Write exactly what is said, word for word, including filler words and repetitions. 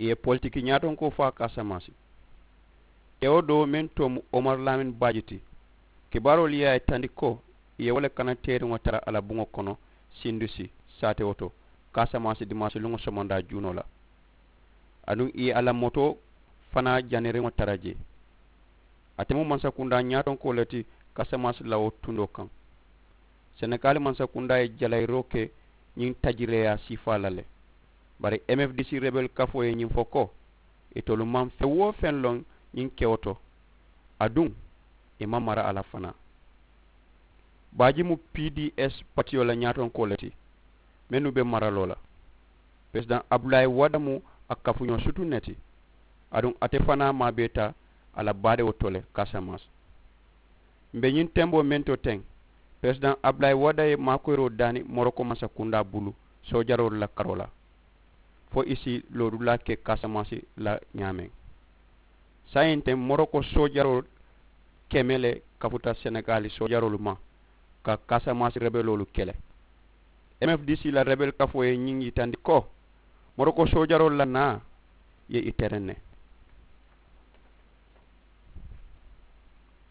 Ì ye politiki ñaatonkoo faa kaasamansi. Kewo doo meŋ too mu omar laamin baaji ti. Kibaaroolu ye a yitandi ko ì ye wo le kana teeriŋo tara a la buŋo kono sindusi saatewo to kaasamansi dimaasiluŋo somondaa juunoo la. Aduŋ ì ye a la motoo fanaa janiriŋo tara jee. Ate mu mansakundaa ñaatonkoo le ti kaasamansi la wo tundoo kaŋ. Senegali mansakundaa ye jalayiroo ke ñiŋ tajireeyaa siifaa la le. Bari m f d c rebel kafoo ye ñiŋ fo ko itolu maŋ feŋ woo feŋ loŋ ñiŋ kewo to. Aduŋ ì maŋ mara a la fanaa. Baaji mu p d s patiyo la ñaatonkoo le ti mennu be maraloo la. Peresidaŋ abdulayi wada mu a kafuñoo sutuŋ ne ti. Aduŋ ate fanaa maabeeta a la baadewo to le kaasamansi. M̀ be ñiŋ temboo meŋ to teŋ, peresidaŋ abdulayi wada ye maakoyiroo daani moroko mansakundaa bulu soojaroolu la karoo la fo ì si loodulaa ke kaasamansi la ñaameŋ. Saayiŋ teŋ moroko soojaroo keme le kafuta senegali soojaroolu ma ka kaasamansi rebeloolu kele. M f d c la rebel kafoo ye ñiŋ yitandi ko moroko soojaroolu la naa ye ì tereŋ ne.